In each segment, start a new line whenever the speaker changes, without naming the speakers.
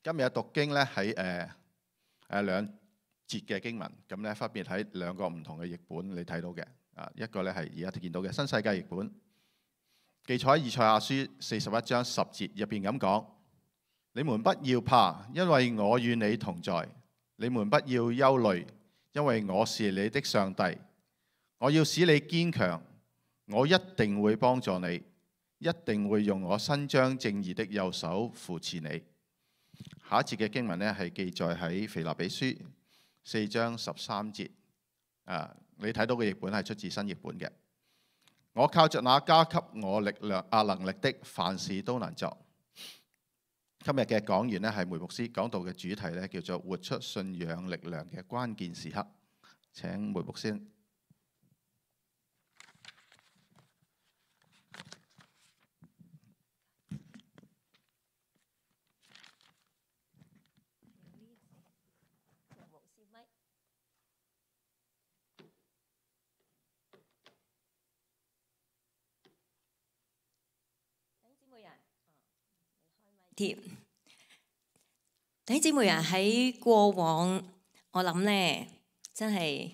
今日嘅讀經咧喺兩節嘅經文，咁咧分別喺兩個唔同嘅譯本你睇到嘅。一個咧係而家見到嘅新世界譯本，記載喺以賽亞書41章10節入邊咁講：你們不要怕，因為我與你同在；你們不要憂慮，因為我是你的上帝。我要使你堅強，我一定會幫助你，一定會用我伸張正義的右手扶持你。下一節嘅經文呢係記載喺腓立比書4章13節。你睇到嘅譯本係出自新譯本嘅。我靠着那加給我力量能力的，凡事都能做。今日嘅講員呢係梅牧師，講道嘅主題呢叫做活出信仰力量嘅關鍵時刻。請梅牧師。
弟兄姊妹啊，喺過往我諗呢，真係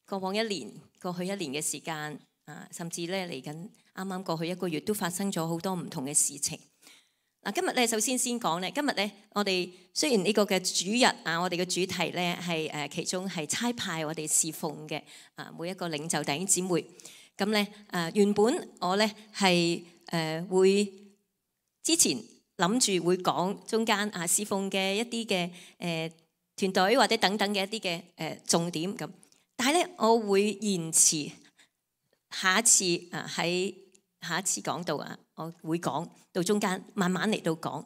過往過去一年嘅時間甚至咧嚟緊啱啱過去一個月都發生咗好多唔同嘅事情。今日咧首先講咧，今日咧我哋雖然呢個嘅主日我哋嘅主題咧係其中係差派我哋侍奉嘅每一個領袖弟兄姊妹。咁咧原本我咧係會之前諗住會講中間侍奉嘅一啲嘅團隊或者等等嘅一啲嘅重點咁，但係咧我會延遲下一次喺下一次講道我會講到中間慢慢嚟到講。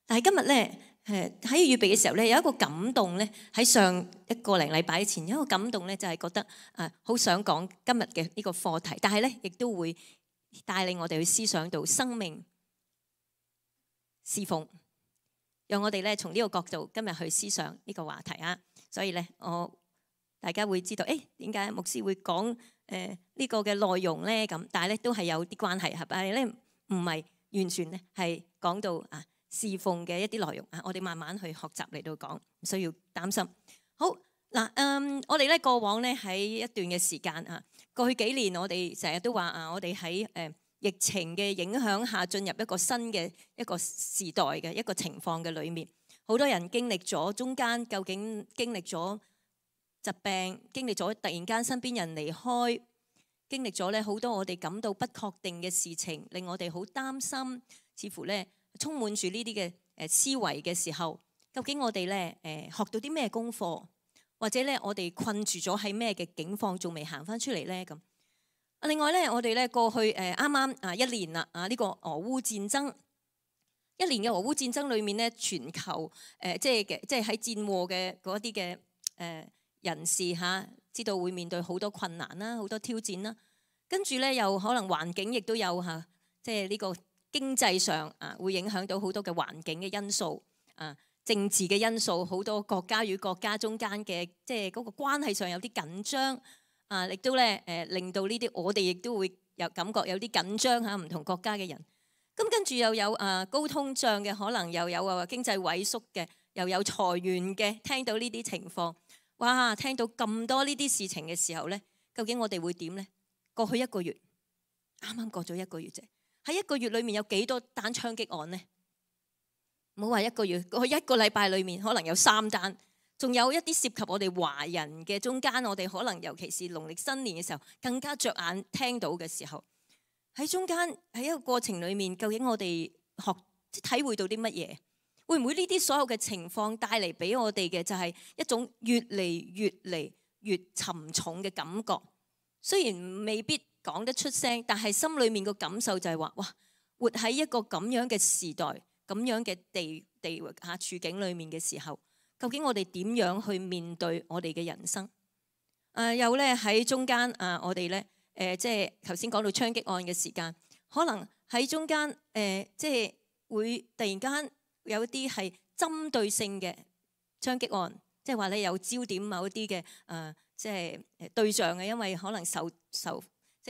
但係今日咧喺預備嘅時候咧有一個感動咧，喺上一個零禮拜前有一個感動咧，就係覺得好想講今日嘅呢個課題，但係咧亦都會帶領我哋去思想到生命侍奉，讓我哋咧從呢個角度今日去思想呢個話題所以咧大家會知道點解牧師會講呢個嘅內容咧咁，但係咧都係有啲關係，但係咧唔係完全咧係講到侍奉嘅一啲內容我哋慢慢去學習嚟到講，唔需要擔心。好嗱，我哋咧過往咧喺一段嘅時間過去幾年我哋成日都話我哋喺疫情嘅影響下進入一個新嘅一個時代嘅一個情況嘅裏面，好多人經歷咗中間究竟經歷咗疾病，經歷咗突然間身邊人離開，經歷咗咧好多我哋感到不確定嘅事情，令我哋好擔心，似乎咧充滿住呢啲嘅思維嘅時候，究竟我哋咧學到啲咩功課，或者咧我哋困住咗喺咩嘅境況，仲未行翻出嚟咧咁。另外咧，我哋咧過去啱啱一年啦呢個俄烏戰爭，一年嘅俄烏戰爭裏面咧，全球即係喺戰禍嘅嗰啲嘅人士知道會面對好多困難啦，好多挑戰啦。跟住咧又可能環境亦都有即係呢個經濟上會影響到好多嘅環境嘅因素政治嘅因素，好多國家與國家中間嘅即係嗰個關係上有啲緊張。亦都咧令到呢啲我哋亦都會有感覺有啲緊張唔同國家嘅人。咁跟住又有高通脹嘅，可能又有經濟萎縮嘅，又有裁員嘅。聽到呢啲情況，哇！聽到咁多呢啲事情嘅時候咧，究竟我哋會點咧？過去一個月，啱啱過咗一個月啫，喺一個月裏面有幾多單槍擊案呢？唔好話一個月，過去一個禮拜裏面可能有3單。仲有一啲涉及我哋華人嘅中間，我哋可能尤其是農曆新年嘅時候，更加着眼聽到嘅時候，喺中間喺一個過程裏面，究竟我哋體會到啲乜嘢？會唔會呢啲所有嘅情況帶嚟俾我哋嘅就係一種越嚟越沉重嘅感覺？雖然未必講得出聲，但係心裏面個感受就係話：哇！活喺一個咁樣嘅時代、咁樣嘅地域處境裏面嘅時候。究竟我哋點樣去面對我哋嘅人生？又咧喺中間我哋咧即係頭先講到槍擊案嘅時間，可能喺中間即係會突然間有一啲係針對性嘅槍擊案，即係話咧有焦點某一啲嘅即係對象嘅，因為可能即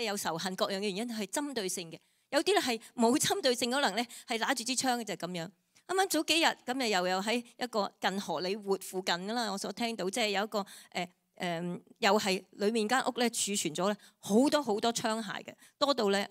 係有仇恨各樣嘅原因係針對性嘅。有啲咧係冇針對性，可能咧係拿住支槍嘅就係咁樣。啱啱早幾日咁又喺一個近荷里活附近㗎啦，我所聽到即係有一個又係裡面間屋咧儲存咗咧好多好多槍械嘅，多到咧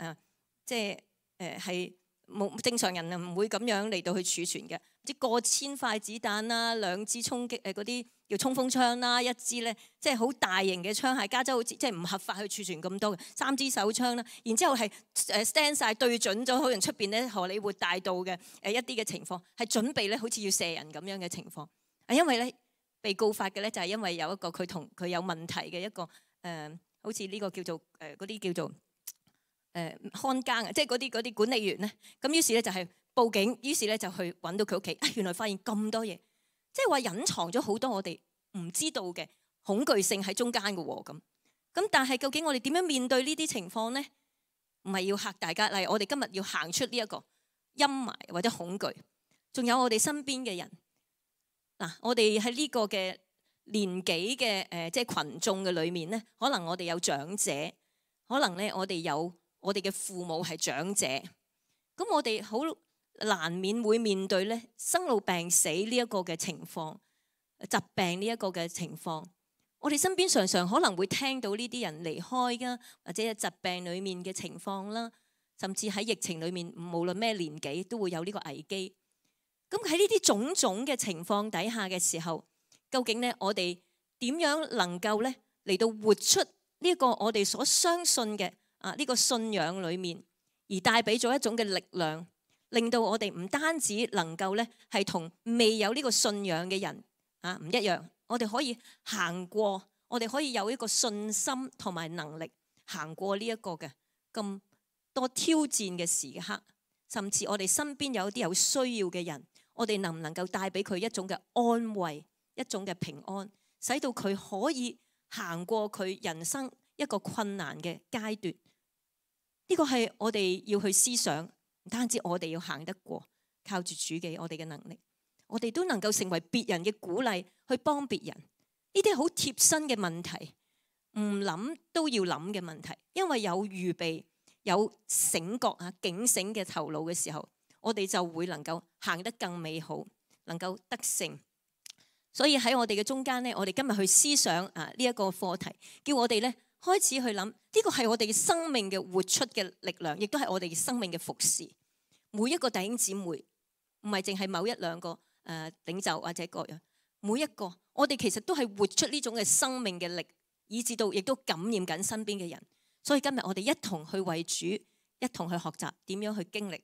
即係係冇正常人啊唔會咁樣嚟到去儲存嘅，即過千塊子彈啦，2支衝擊嗰啲叫衝鋒槍啦，一支咧即係好大型嘅槍械，加州好似即係唔合法去儲存咁多嘅，3支手槍啦，然之後係stand 晒對準咗可能出邊咧荷里活大道嘅一啲嘅情況，係準備咧好似要射人咁樣嘅情況，因為咧被告發嘅咧就係因為有一個佢同佢有問題嘅一個好似呢個叫做嗰啲叫做看更啊，即係嗰啲管理員咧，咁於是咧就係報警，於是咧就去揾到佢屋企，原來發現咁多嘢，即係話隱藏咗好多我哋唔知道嘅恐懼性喺中間嘅喎，咁但係究竟我哋點樣面對呢啲情況咧？唔係要嚇大家，例如我哋今日要行出呢一個陰霾或者恐懼，仲有我哋身邊嘅人嗱，我哋喺呢個嘅年紀嘅即係群眾嘅裏面咧，可能我哋有長者，可能咧我哋有我哋嘅父母係長者，咁我哋好難免會面對咧生老病死呢一個嘅情況，疾病呢一個嘅情況。我哋身邊常常可能會聽到呢啲人離開㗎，或者疾病裡面嘅情況啦，甚至喺疫情裡面，無論咩年紀都會有呢個危機。咁喺呢啲種種嘅情況底下嘅時候，究竟咧我哋點樣能夠咧嚟到活出呢個我哋所相信嘅呢個信仰裡面，而帶俾咗一種嘅力量，令到我哋唔單止能夠咧係同未有呢個信仰嘅人唔一樣，我哋可以行過，我哋可以有一個信心同埋能力行過呢一個嘅咁多挑戰嘅時刻，甚至我哋身邊有啲有需要嘅人，我哋能唔能夠帶俾佢一種嘅安慰，一種嘅平安，使到佢可以行過佢人生一個困難嘅階段？呢個係我哋要去思想，唔單止我哋要行得過，靠住主嘅我哋嘅能力，我哋都能夠成為別人嘅鼓勵，去幫別人。呢啲好貼身嘅問題，唔諗都要諗嘅問題，因為有預備、有醒覺警醒嘅頭腦嘅時候，我哋就會能夠行得更美好，能夠得勝。所以喺我哋嘅中間呢，我哋今日去思想呢一個課題，叫我哋呢開始去諗，呢個係我哋嘅生命嘅活出嘅力量，亦都係我哋嘅生命嘅服侍。每一個弟兄姊妹，唔係淨係某一兩個領袖或者各樣，每一個我哋其實都係活出呢種嘅生命嘅力，以至到亦都感染緊身邊嘅人。所以今日我哋一同去為主，一同去學習點樣去經歷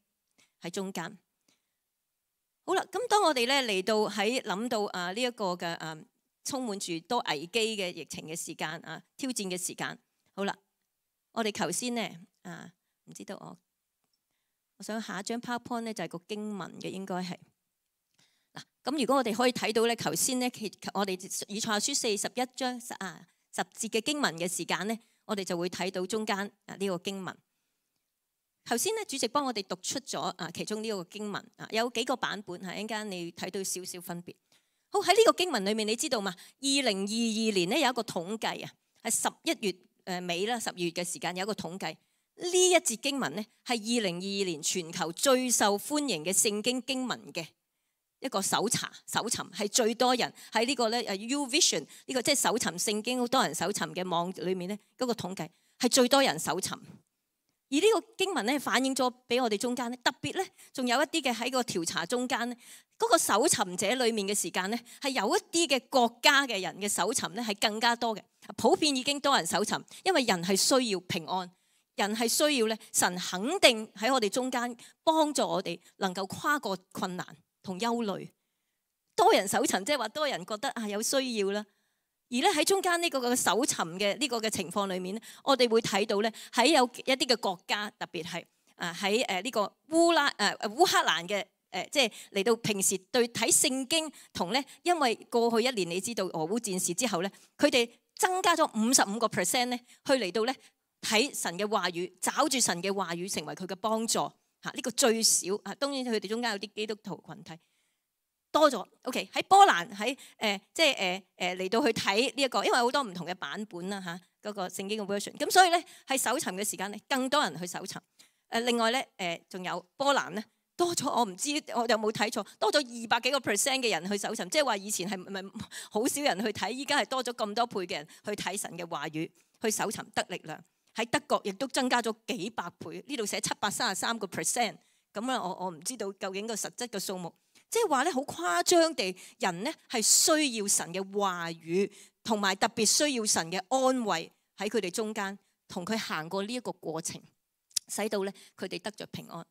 喺中間。好啦，咁當我哋咧嚟到喺諗到呢一個嘅充滿住多危機嘅疫情嘅時間挑戰嘅時間，好啦，我哋頭先呢唔知道我想下一張 PowerPoint 咧就係個經文嘅，應該係嗱。咁如果我哋可以睇到咧，頭先咧我哋以賽亞書41章10節嘅經文嘅時間咧，我哋就會睇到中間呢個經文。頭先咧主席幫我哋讀出咗其中呢個經文有幾個版本，一陣間你睇到少少分別。好，喺呢個經文裏面，你知道嘛？2022年咧有一個統計係11月尾啦，12月嘅時間有一個統計。呢一節經文咧係2022年全球最受歡迎嘅聖經經文嘅一個搜尋，係最多人喺呢個咧YouVersion 呢個即係搜尋聖經好多人搜尋嘅網裏面咧嗰個統計係最多人搜尋。而呢個經文咧反映咗俾我哋中間咧，特別咧仲有一啲嘅喺個調查中間咧，嗰個搜尋者裏面嘅時間咧係有一啲嘅國家嘅人嘅搜尋咧係更加多嘅。普遍已經多人搜尋，因為人係需要平安，人係需要咧神肯定喺我哋中間幫助我哋能夠跨過困難同憂慮。多人搜尋即係話多人覺得有需要啦。而咧喺中間呢個搜尋嘅呢個嘅情況裏面咧，我哋會睇到咧喺有一啲嘅國家，特別係喺呢個烏克蘭嘅即係嚟到平時對睇聖經同咧，因為過去一年你知道俄烏戰事之後咧，佢哋增加咗55%咧，去嚟到咧睇神嘅話語，找住神嘅話語成為佢嘅幫助呢個最少當然佢哋中間有啲基督徒群體。多咗 ，OK 喺波蘭喺即係嚟到去睇呢一個，因為好多唔同嘅版本啦嗰個聖經嘅 version， 咁所以咧喺搜尋嘅時間咧，更多人去搜尋。另外咧仲有波蘭咧多咗，我唔知我有冇睇錯，多咗200幾個% 嘅人去搜尋，即係話以前係咪好少人去睇，依家係多咗咁多倍嘅人去睇神嘅話語，去搜尋得力量。喺德國亦都增加咗幾百倍，呢度寫733個%，咁啊我唔知道究竟個實質嘅數目，即係話咧好誇張地，人咧係需要神嘅話語，同埋特別需要神嘅安慰喺佢哋中間，同佢行過呢一個過程，使到咧佢哋得着平安。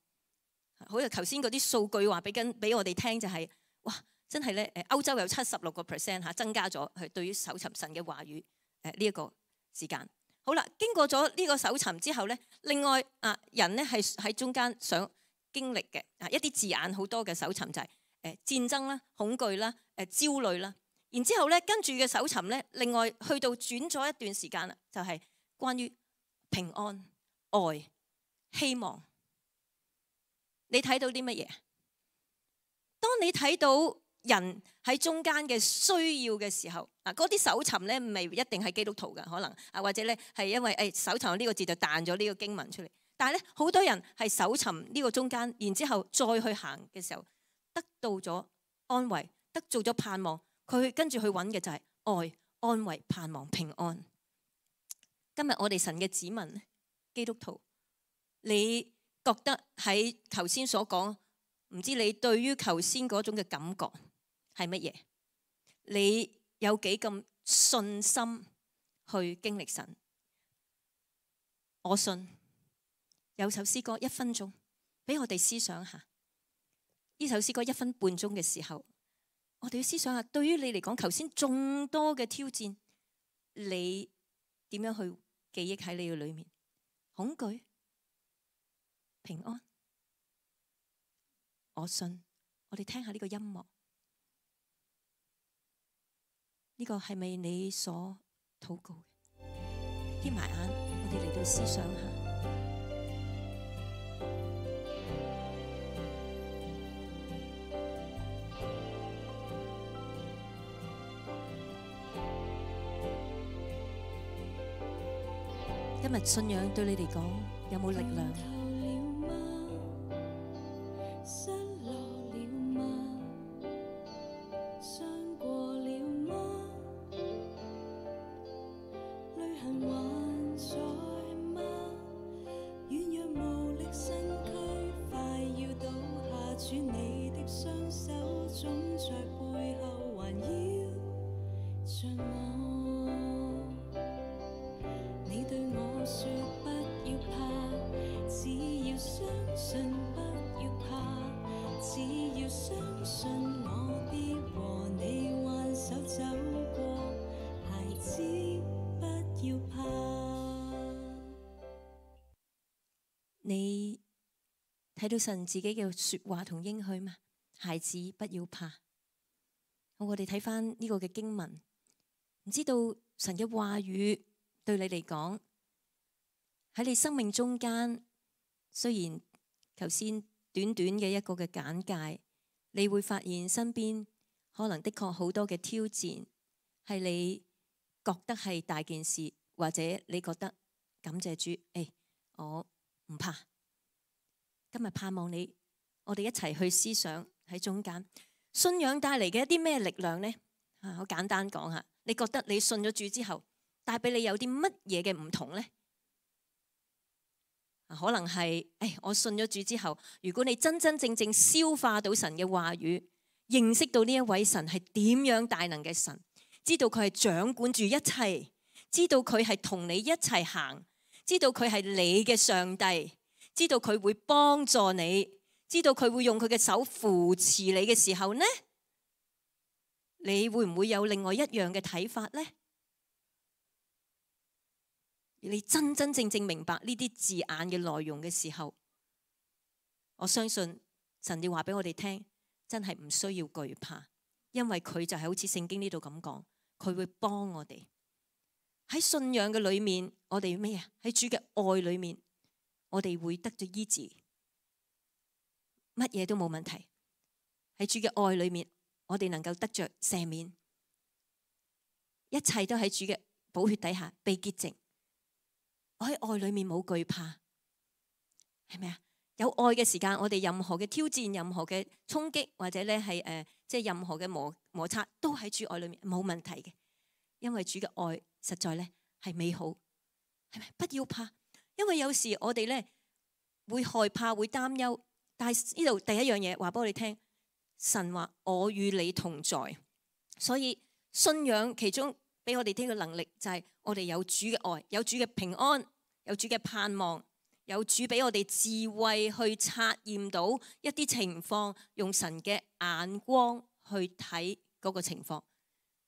好似頭先嗰啲數據話俾我哋聽就係，哇！真係咧歐洲有76個% 嚇增加咗係對於搜尋神嘅話語呢一個時間。好啦，經過咗呢個搜尋之後咧，另外人咧係喺中間想經歷嘅一啲字眼好多嘅搜尋就係戰爭啦、恐懼啦、焦慮啦。然之後咧跟住嘅搜尋咧，另外去到轉咗一段時間啦，就係關於平安、愛、希望。你睇到啲乜嘢？當你睇到人喺中間嘅需要嘅時候，嗰啲搜尋咧唔係一定係基督徒嘅，可能或者咧係因為搜尋呢個字就彈咗呢個經文出嚟。但係咧好多人係搜尋呢個中間，然之後再去行嘅時候，得到咗安慰，得到咗盼望。佢跟住去揾嘅就係愛、安慰、盼望、平安。今日我哋神嘅子民，基督徒，你覺得喺頭先所講，唔知你對於頭先嗰種嘅感覺係乜嘢？你有幾咁信心去經歷神？我信。有首詩歌1分鐘，俾我哋思想下。呢首詩歌1分半鐘嘅時候，我哋要思想下，對於你嚟講，頭先眾多嘅挑戰，你點樣去記憶喺你嘅裏面？恐懼？平安，我信。我哋聽下呢個音樂，呢個係咪你所禱告嘅？瞇埋眼，我哋嚟到思想下。今日信仰對你嚟講有冇力量？你睇到神自己嘅說話同應許嘛？孩子不要怕。我哋睇翻呢個嘅經文，唔知道神嘅話語對你嚟講喺你生命中間，雖然頭先短短嘅一個嘅簡介，你會發現身邊可能的確好多嘅挑戰，係你覺得係大件事，或者你覺得感謝主，我唔怕。今日盼望你，我哋一齊去思想喺中間信仰帶嚟嘅一啲咩力量呢？好簡單講下，你覺得你信咗主之後帶俾你有啲乜嘢嘅唔同呢？可能係我信咗主之後，如果你真真正正消化到神嘅話語，認識到呢一位神係點樣大能嘅神，知道佢係掌管住一切，知道佢係同你一齊行，知道佢係你嘅上帝，知道佢會幫助你，知道佢會用佢嘅手扶持你嘅時候呢，你會唔會有另外一樣嘅睇法呢？你真真正正明白呢啲字眼嘅內容嘅時候，我相信神要話俾我哋聽，真係唔需要懼怕，因為佢就係好似聖經呢度咁講，佢會幫我哋喺信仰嘅裏面，我哋咩啊？喺主嘅愛裏面，我哋會得咗醫治，乜嘢都冇問題。喺主嘅愛裏面，我哋能夠得着赦免，一切都喺主嘅寶血底下被潔淨。我喺愛裏面冇懼怕，係咪啊？有愛嘅時間，我哋任何嘅挑戰、任何嘅衝擊，或者咧係即係任何嘅摩擦，都喺主愛裏面冇問題嘅，因為主嘅愛實在咧係美好，係咪？不要怕，因為有時我哋咧會害怕、會擔憂，但係呢度第一樣嘢話俾我哋聽，神話我與你同在，所以信仰其中俾我哋聽嘅能力就係我哋有主嘅愛，有主嘅平安，有主嘅盼望。有主俾我哋智慧去察驗到一啲情況，用神嘅眼光去睇嗰個情況，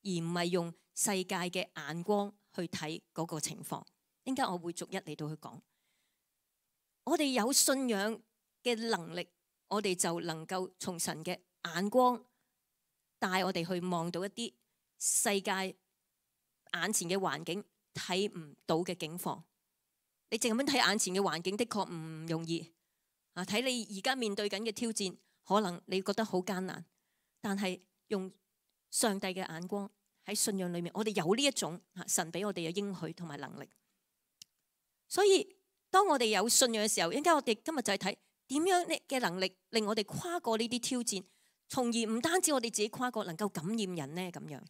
而唔係用世界嘅眼光去睇嗰個情況。應該我會逐一嚟到去講。我哋有信仰嘅能力，我哋就能夠從神嘅眼光帶我哋去望到一啲世界眼前嘅環境睇唔到嘅境況。你淨係咁睇眼前嘅環境，的確唔容易啊！睇你而家面對緊嘅挑戰，可能你覺得好艱難，但係用上帝嘅眼光喺信仰裏面，我哋有呢一種神俾我哋嘅應許同埋能力。所以當我哋有信仰嘅時候，應該我哋今日就係睇點樣嘅能力令我哋跨過呢啲挑戰，從而唔單止我哋自己跨過，能夠感染人呢咁樣。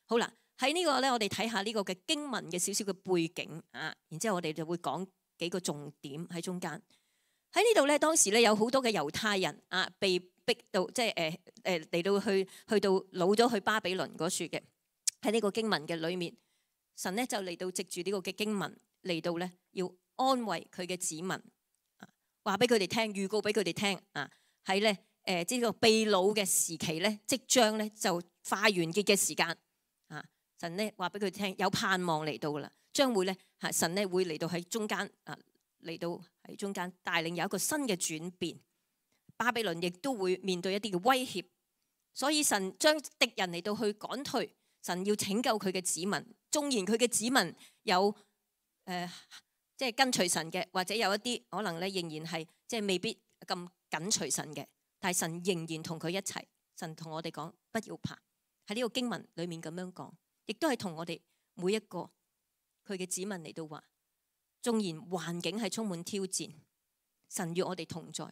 好啦。喺呢個咧，我哋睇下呢個嘅經文嘅少少嘅背景啊，然之後我哋就會講幾個重點喺中間。喺呢度咧，當時咧有好多嘅猶太人啊，被逼到即係嚟到去到老咗去巴比倫嗰處嘅。喺呢個經文嘅裏面，神咧就嚟到藉住呢個嘅經文嚟到咧，要安慰佢嘅子民，話俾佢哋聽，預告俾佢哋聽啊。喺咧即係個被擄嘅時期咧，即將咧就快完結嘅時間。神咧話俾佢聽，有盼望嚟到啦，將會咧神咧會嚟到喺中間嚟到喺中間帶領有一個新嘅轉變。巴比倫亦都會面對一啲嘅威脅，所以神將敵人嚟到去趕退，神要拯救佢嘅子民。縱然佢嘅子民有即係跟隨神嘅，或者有一啲可能咧仍然係即係未必咁緊隨神嘅，但係神仍然同佢一齊。神同我哋講，不要怕。喺呢個經文裏面咁樣講。亦都係同我哋每一個佢嘅子民嚟到話，縱然環境係充滿挑戰，神與我哋同在。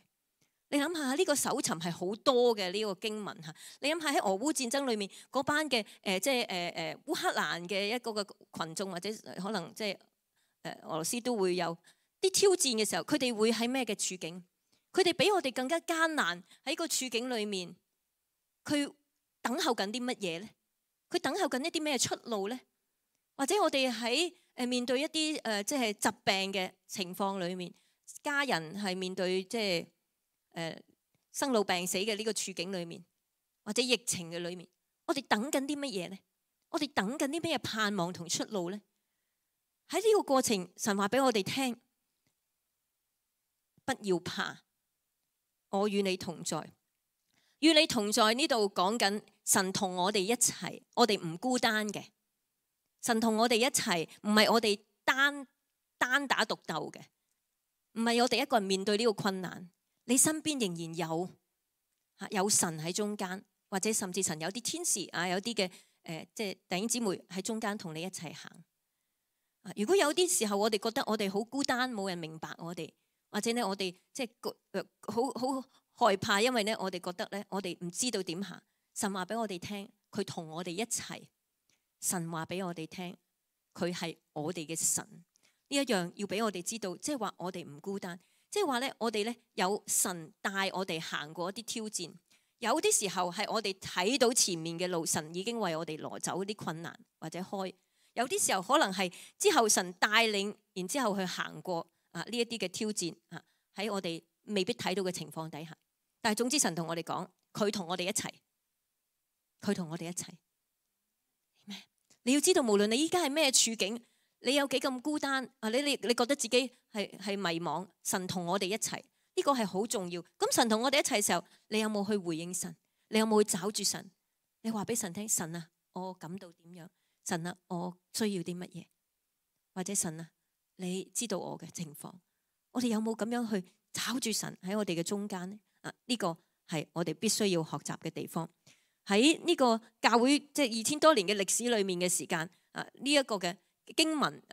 你諗下呢個搜尋係好多嘅呢個經文吓，你諗下喺俄烏戰爭裏面嗰班嘅即係烏克蘭嘅一個嘅群眾，或者可能即係俄羅斯都會有啲挑戰嘅時候，佢哋會喺咩嘅處境？佢哋比我哋更加艱難喺個處境裏面，佢等候緊啲乜嘢咧？佢等候緊一啲咩出路咧？或者我哋喺面對一啲即係疾病嘅情況裏面，家人係面對即係生老病死嘅呢個處境裏面，或者疫情嘅裏面，我哋等緊啲乜嘢咧？我哋等緊啲咩盼望同出路咧？喺呢個過程，神話俾我哋聽，不要怕，我與你同在。與你同在呢度講緊神同我哋一齊，我哋唔孤單嘅。神同我哋一齊，唔係我哋單打獨鬥嘅，唔係我哋一個人面對呢個困難。你身邊仍然有神喺中間，或者甚至神有啲天使啊，有啲嘅即係弟兄姊妹喺中間同你一齊行。如果有啲時候我哋覺得我哋好孤單，冇人明白我哋，或者咧我哋即係好害怕，因為咧我哋覺得咧我哋唔知道點行。神話俾我哋聽，佢同我哋一齊。神話俾我哋聽，佢係我哋嘅神。呢一樣要俾我哋知道，即係話我哋唔孤單，即係話咧我哋咧有神帶我哋行過一啲挑戰。有啲時候係我哋睇到前面嘅路，神已經為我哋攞走啲困難或者開。有啲時候可能係之後神帶領，然之後去行過呢一啲嘅挑戰喺我哋未必睇到嘅情況底下。但係總之神同我哋講，佢同我哋一齊，佢同我哋一齊。你要知道，無論你依家係咩處境，你有幾咁孤單你覺得自己係迷惘，神同我哋一齊，呢個係好重要。咁神同我哋一齊嘅時候，你有冇去回應神？你有冇去找住神？你話俾神聽，神啊，我感到點樣？神啊，我需要啲乜嘢？或者神啊，你知道我嘅情況？我哋有冇咁樣去找住神喺我哋嘅中間呢？呢個係我哋必須要學習嘅地方。喺呢個教會即係2000多年嘅歷史裏面嘅時間呢一個嘅經文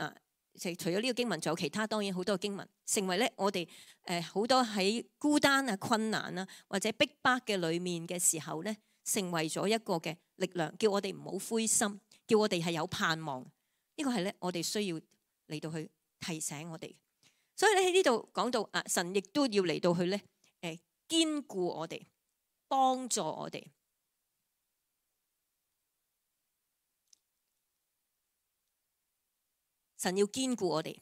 除咗呢個經文，仲有其他當然好多嘅經文，成為咧我哋好多喺孤單啊、困難啊或者逼迫嘅裏面嘅時候咧，成為咗一個嘅力量，叫我哋唔好灰心，叫我哋係有盼望。呢個係咧我哋需要嚟到去提醒我哋。所以咧喺呢度講到啊，神亦都要嚟到去咧堅固我哋，幫助我哋。神要堅固我哋。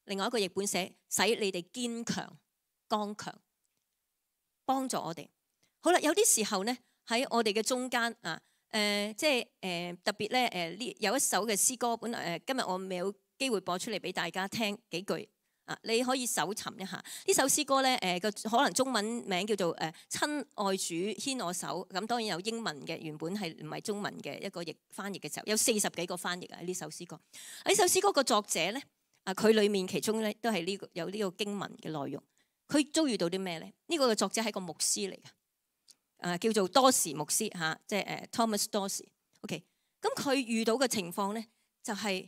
另外一個譯本寫使你哋堅強剛強，幫助我哋。好啦，有啲時候咧喺我哋嘅中間啊，即係特別咧呢有一首嘅詩歌，本來今日我未有機會播出嚟俾大家聽幾句啊，你可以搜尋一下呢首詩歌咧個可能中文名叫做親愛主牽我手，咁當然有英文嘅，原本係唔係中文嘅一個翻譯嘅時候，有40幾個翻譯啊呢首詩歌。呢首詩歌個作者咧啊，佢裡面其中咧都係有呢個經文嘅內容。佢遭遇到啲咩咧？呢個嘅作者係個牧師嚟嘅，叫做多士牧師嚇，即係Thomas Dorsey。OK， 咁佢遇到嘅情況咧就係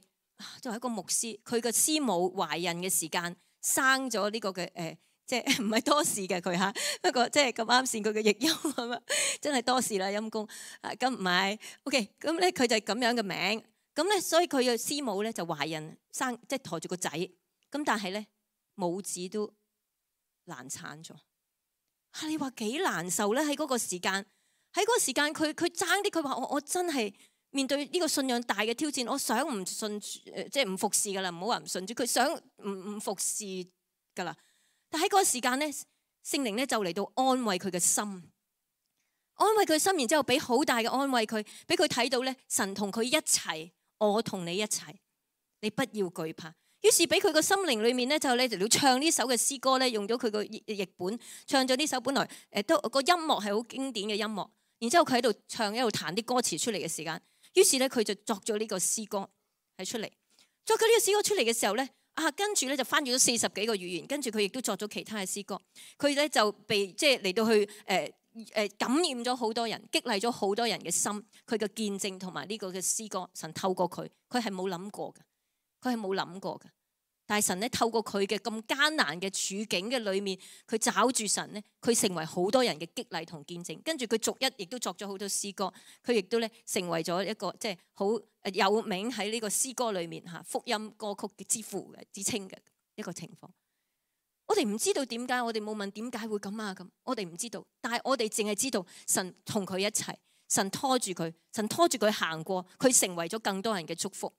作為一個牧師，佢嘅師母懷孕嘅時間生咗呢個嘅即係唔係多士嘅佢嚇，不過即係咁啱先佢嘅譯音咁啊，真係多士啦陰公啊，咁唔係 OK， 咁咧佢就係咁樣嘅名，咁咧所以佢嘅師母咧就懷孕生，即係抬住個仔，咁但係咧母子都難產咗。你話幾難受咧？喺嗰個時間，佢爭啲，佢話我真係面對呢個信仰大嘅挑戰，我想唔信即係唔服侍噶啦，唔好話唔信主，佢想唔服侍噶啦。但喺嗰個時間咧，聖靈咧就嚟到安慰佢嘅心，安慰佢心，然之後俾好大嘅安慰佢，俾佢睇到咧神同佢一齊，我同你一齊，你不要懼怕。於是俾佢個心靈裏面咧，就你就要唱呢首嘅詩歌咧，用咗佢個譯本唱咗呢首，本來都個音樂係好經典嘅音樂。然之後佢喺度唱，一路彈啲歌詞出嚟嘅時間，於是咧佢就作咗呢個詩歌係出嚟。作咗呢個詩歌出嚟嘅時候咧，跟住咧就翻譯咗40幾個語言，跟住佢亦都作咗其他嘅詩歌。佢咧就被即係嚟到去感染咗好多人，激勵咗好多人嘅心。佢嘅見證同埋呢個嘅詩歌，神透過佢係冇諗過嘅。佢係冇諗過嘅，但係神咧透過佢嘅咁艱難嘅處境嘅裏面，佢找住神咧，佢成為好多人嘅激勵同見證。跟住佢逐一亦都作咗好多詩歌，佢亦都咧成為咗一個即係好有名喺呢個詩歌裏面嚇福音歌曲嘅之父嘅之稱嘅一個情況。我哋唔知道點解，我哋冇問點解會咁啊咁，我哋唔知道，但係我哋淨係知道神同佢一齊，神拖住佢，神拖住佢行過，佢成為咗更多人嘅祝福。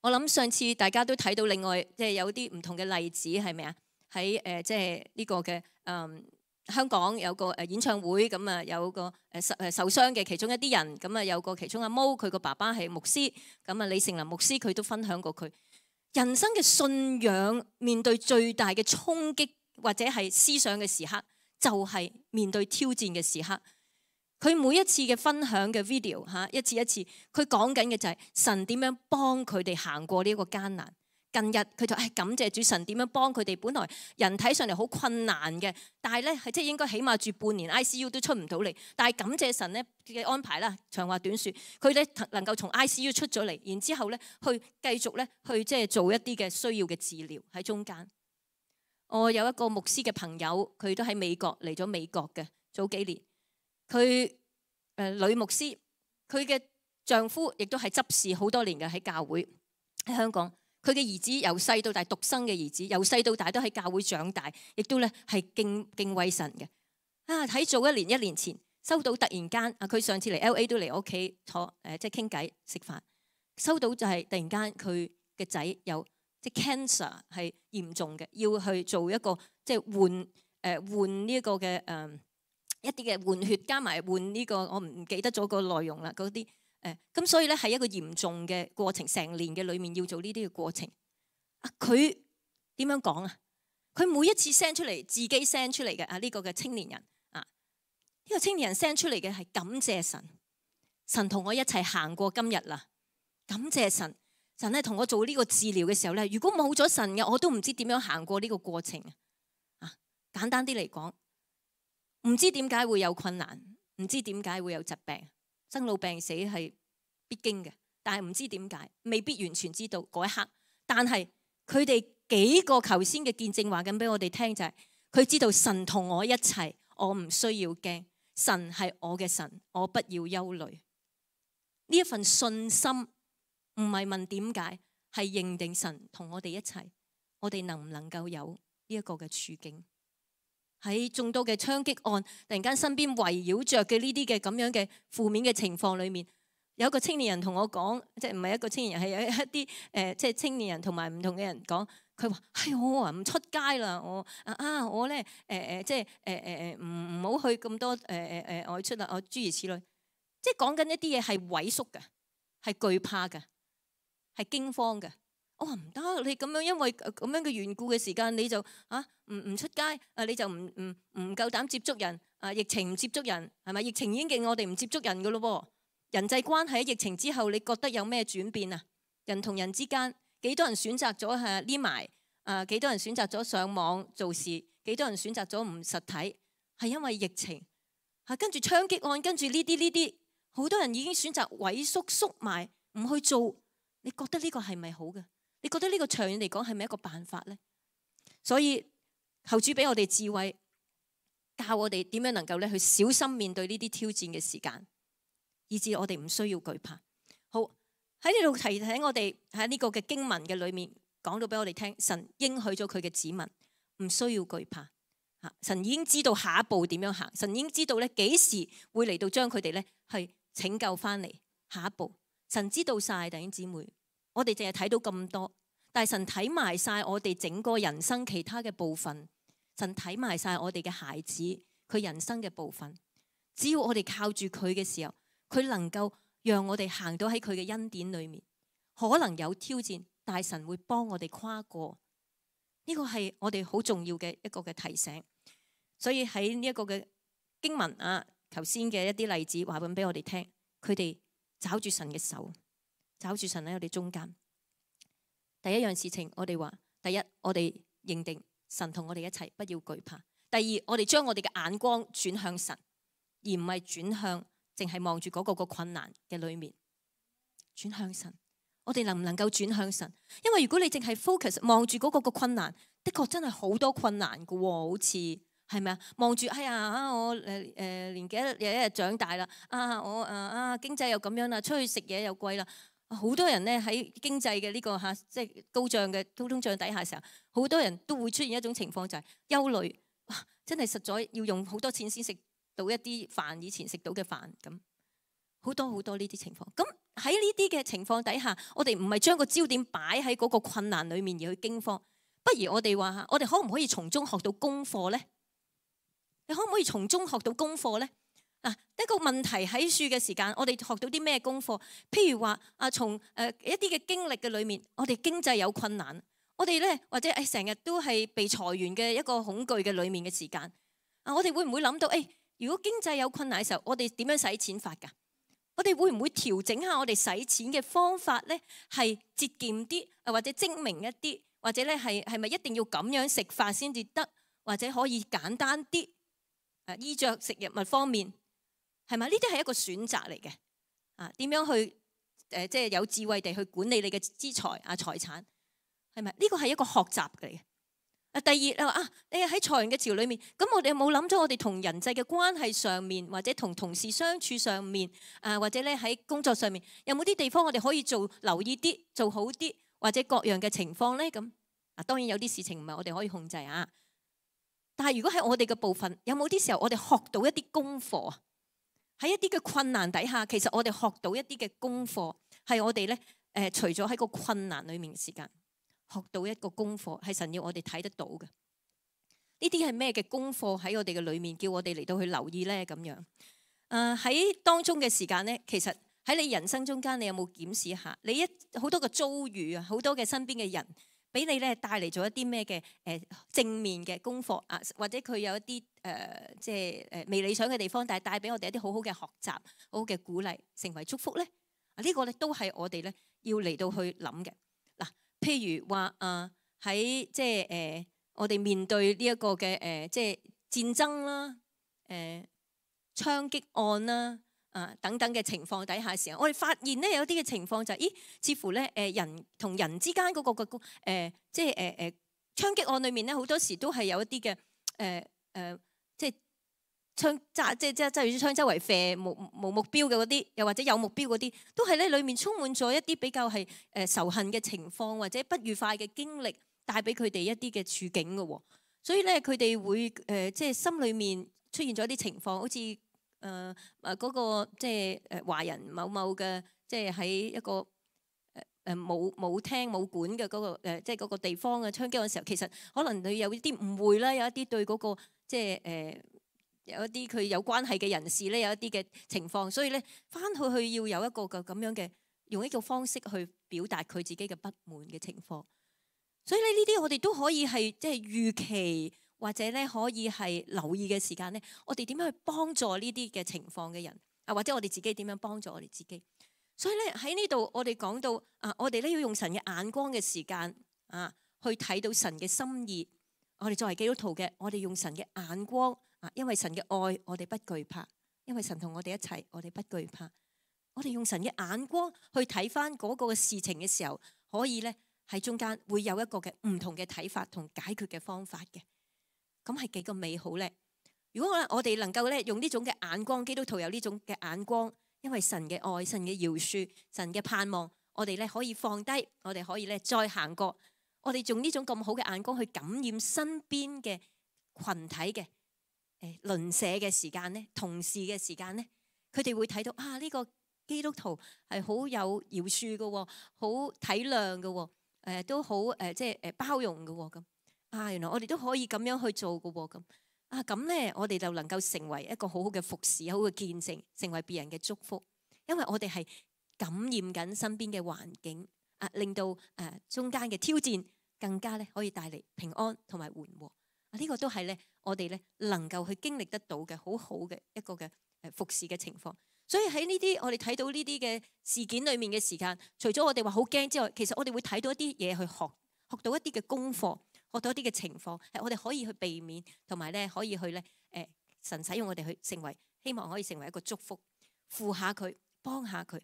我諗上次大家都睇到另外即係有啲唔同嘅例子係咪啊？喺即係呢個嘅香港有個演唱會，咁啊有個受傷嘅其中一啲人，咁啊有個其中阿毛，佢個爸爸係牧師，咁啊李成林牧師佢都分享過佢人生嘅信仰面對最大嘅衝擊或者係思想嘅時刻，就係面對挑戰嘅時刻。佢每一次嘅分享嘅 video 一次一次，佢講緊嘅就係神點樣幫佢哋行過呢一個艱難。近日佢就感謝主，神點樣幫佢哋。本來人睇上嚟好困難嘅，但係咧係即係應該起碼住半年 ICU 都出唔到嚟。但係感謝神咧嘅安排啦，長話短説，佢咧能夠從 ICU 出咗嚟，然之後咧去繼續咧去即係做一啲嘅需要嘅治療喺中間。我有一個牧師嘅朋友，佢都喺美國嚟咗美國嘅早幾年。佢女牧師，佢嘅丈夫亦都係執事好多年嘅喺教會喺香港。佢嘅兒子由細到大獨生嘅兒子，由細到大都喺教會長大，亦都咧係敬畏神嘅。喺早一年前收到突然間佢上次嚟 LA 都嚟我屋企坐即係傾偈食飯，收到就係突然間佢嘅仔有即係 cancer 係嚴重嘅，要去做一個即係換呢一個嘅一啲嘅換血加埋換呢個，我唔記得咗個內容啦。嗰啲咁所以咧係一個嚴重嘅過程，成年嘅裏面要做呢啲嘅過程。佢點樣講啊？佢每一次 send 出嚟，自己 send 出嚟嘅呢個嘅青年人呢個青年人 send 出嚟嘅係感謝神，神同我一齊行過今日啦。感謝神，神咧同我做呢個治療嘅時候咧，如果冇咗神嘅，我都唔知點樣行過呢個過程啊。簡單啲嚟講。唔知點解會有困難，唔知點解會有疾病，生老病死係必經嘅，但係唔知點解，未必完全知道嗰一刻。但係佢哋幾個頭先嘅見證話緊俾我哋聽，就係佢知道神同我一齊，我唔需要驚，神係我嘅神，我不要憂慮。呢一份信心唔係問點解，係認定神同我哋一齊，我哋能唔能夠有呢一個嘅處境？喺眾多嘅槍擊案，突然間身邊圍繞着嘅呢啲嘅咁樣嘅負面嘅情況裏面，有一個青年人同我講，即係唔係一個青年人，係有一啲即係青年人同埋唔同嘅人講，佢話：係我啊，唔出街啦，我咧即係唔好去咁多外出啦，諸如此類，即係講緊一啲嘢係萎縮嘅，係懼怕嘅，係驚慌嘅。我話唔得，你咁樣因為咁樣嘅緣故嘅時間，你就唔出街，你就唔夠膽接觸人，疫情唔接觸人，係咪？疫情已經令我哋唔接觸人噶咯喎。人際關係喺疫情之後，你覺得有咩轉變啊？人同人之間幾多人選擇咗係匿埋，幾多人選擇咗上網做事，幾多人選擇咗唔實體，係因為疫情。跟住槍擊案，跟住呢啲，好多人已經選擇萎縮埋，唔去做。你覺得呢個係咪好嘅？你覺得呢個長遠嚟講係咪一個辦法呢？所以求主俾我哋智慧，教我哋點樣能夠咧去小心面對呢啲挑戰嘅時間，以致我哋唔需要懼怕。好，喺呢度提醒我哋喺呢個嘅經文嘅裏面講到俾我哋聽，神應許咗佢嘅子民唔需要懼怕。神已經知道下一步點樣行，神已經知道咧幾時會嚟到將佢哋咧去拯救翻嚟。下一步神知道晒，弟兄姊妹。我哋淨係睇到咁多，但係神睇埋晒我哋整個人生其他嘅部分，神睇埋晒我哋嘅孩子佢人生嘅部分。只要我哋靠住佢嘅時候，佢能夠讓我哋行到喺佢嘅恩典裏面。可能有挑戰，但係神會幫我哋跨過。呢個係我哋好重要嘅一個嘅提醒。所以喺呢一個嘅經文頭先嘅一啲例子話俾我哋聽，佢哋抓住神嘅手。找住神喺我哋中間。第一樣事情，我哋話：第一，我哋認定神同我哋一齊，不要懼怕。第二，我哋將我哋嘅眼光轉向神，而唔係轉向淨係望住嗰個困難嘅裏面。轉向神，我哋能唔能夠轉向神？因為如果你淨係 focus 望住嗰個困難，的確真係好多困難㗎喎，好似係咪啊？望住哎呀我年紀又一日長大啦，我經濟又咁樣啦，出去食嘢又貴啦。好多人咧喺經濟嘅呢個即係高漲嘅通脹底下嘅時候，好多人都會出現一種情況，就係憂慮。哇！真係實在要用好多錢先食到一啲飯，以前食到嘅飯咁，好多呢啲情況。咁喺呢啲嘅情況底下，我哋唔係將個焦點擺喺嗰個困難裡面而去驚慌，不如我哋話我哋可唔可以從中學到功課呢？你可唔可以從中學到功課呢？一個問題喺處嘅時間，我哋學到啲咩功課？譬如話從一啲嘅經歷嘅裏面，我哋經濟有困難，我哋咧或者成日都係被裁員嘅一個恐懼嘅裏面嘅時間，我哋會唔會諗到如果經濟有困難嘅時候，我哋點樣使錢法㗎？我哋會唔會調整下我哋使錢嘅方法咧？係節儉啲，或者精明一啲，或者咧係咪一定要咁樣食法先至得？或者可以簡單啲？衣着食物方面。係咪？呢啲係一個選擇嚟嘅。點樣去即係有智慧地去管理你嘅資財財產？係咪？呢個係一個學習嚟嘅。第二你話你喺裁員嘅潮裏面，咁我哋有冇諗咗我哋同人際嘅關係上面，或者同同事相處上面，或者咧喺工作上面，有冇啲地方我哋可以留意啲，做好啲，或者各樣嘅情況咧？咁當然有啲事情唔係我哋可以控制但係如果喺我哋嘅部分，有冇啲時候我哋學到一啲功課啊？喺一啲嘅困難底下，其實我哋學到一啲嘅功課，係我哋咧除咗喺個困難裏面嘅時間，學到一個功課，係神要我哋睇得到嘅。呢啲係咩嘅功課喺我哋嘅裏面，叫我哋嚟到去留意咧？咁樣喺當中嘅時間咧，其實喺你人生中間，你有冇檢視一下？你好多嘅遭遇啊，好多嘅身邊嘅人，俾你咧帶嚟咗一啲咩嘅正面嘅功課或者佢有一啲即係未理想嘅地方，但係帶俾我哋一啲好好嘅學習、好好嘅鼓勵，成為祝福咧。呢個咧都係我哋咧要嚟到去諗嘅。譬如話喺即係我哋面對呢一個嘅即係戰爭啦、槍擊案啦、等等嘅情況底下嘅時候，我哋發現咧有啲嘅情況就係，似乎咧人同人之間嗰個即係槍擊案裏面咧，好多時都係有一啲嘅即係槍揸即係揸住槍周圍射無目標嘅嗰啲，又或者有目標嗰啲，都係咧裡面充滿咗一啲比較係仇恨嘅情況，或者不愉快嘅經歷帶俾佢哋一啲嘅處境嘅喎。所以咧佢哋會即係心裏面出現咗一啲情況，好似嗰個即係華人某某嘅，即係喺一個冇廳冇管嘅嗰個即係嗰個地方嘅槍擊嘅時候，其實可能佢有啲誤會啦，有一啲對嗰個即係有一啲佢有關係嘅人士咧，有一啲嘅情況，所以咧翻去要有一個咁樣嘅用一個方式去表達佢自己嘅不滿嘅情況。所以咧呢啲我哋都可以係即係預期，或者咧可以係留意嘅時間咧，我哋點樣去幫助呢啲嘅情況嘅人啊，或者我哋自己點樣幫助我哋自己。所以咧喺呢度我哋講到我哋咧要用神嘅眼光嘅時間去睇到神嘅心意。我哋作為基督徒嘅，我哋用神嘅眼光因為神嘅愛，我哋不懼怕；因為神同我哋一齊，我哋不懼怕。我哋用神嘅眼光去睇翻嗰個事情嘅時候，可以咧喺中間會有一個嘅唔同嘅睇法同解決嘅方法嘅。咁係幾個美好咧？如果我哋能夠咧用呢種嘅眼光，基督徒有呢種嘅眼光，因為神嘅愛、神嘅饒恕、神嘅盼望，我哋咧可以放低，我哋可以咧再行過。我哋用呢種咁好嘅眼光去感染身邊嘅群體嘅鄰舍嘅時間咧，同事嘅時間咧，佢哋會睇到呢個基督徒係好有饒恕嘅，好體諒嘅，都好即係包容嘅咁。原來我哋都可以咁樣去做嘅咁。咁咧我哋就能夠成為一個好好嘅服侍，好嘅見證，成為別人嘅祝福。因為我哋係感染緊身邊嘅環境，令到中間嘅挑戰更加咧可以帶嚟平安同埋緩和。呢個都係咧我哋咧能夠去經歷得到嘅好好嘅一個嘅服侍嘅情況。所以喺呢啲我哋睇到呢啲嘅事件裏面嘅時間，除咗我哋話好驚之外，其實我哋會睇到一啲嘢去學到一啲嘅功課，學到一啲嘅情況，係我哋可以去避免，同埋咧可以去咧神使用我哋去成為，希望可以成為一個祝福，扶下佢，幫下佢，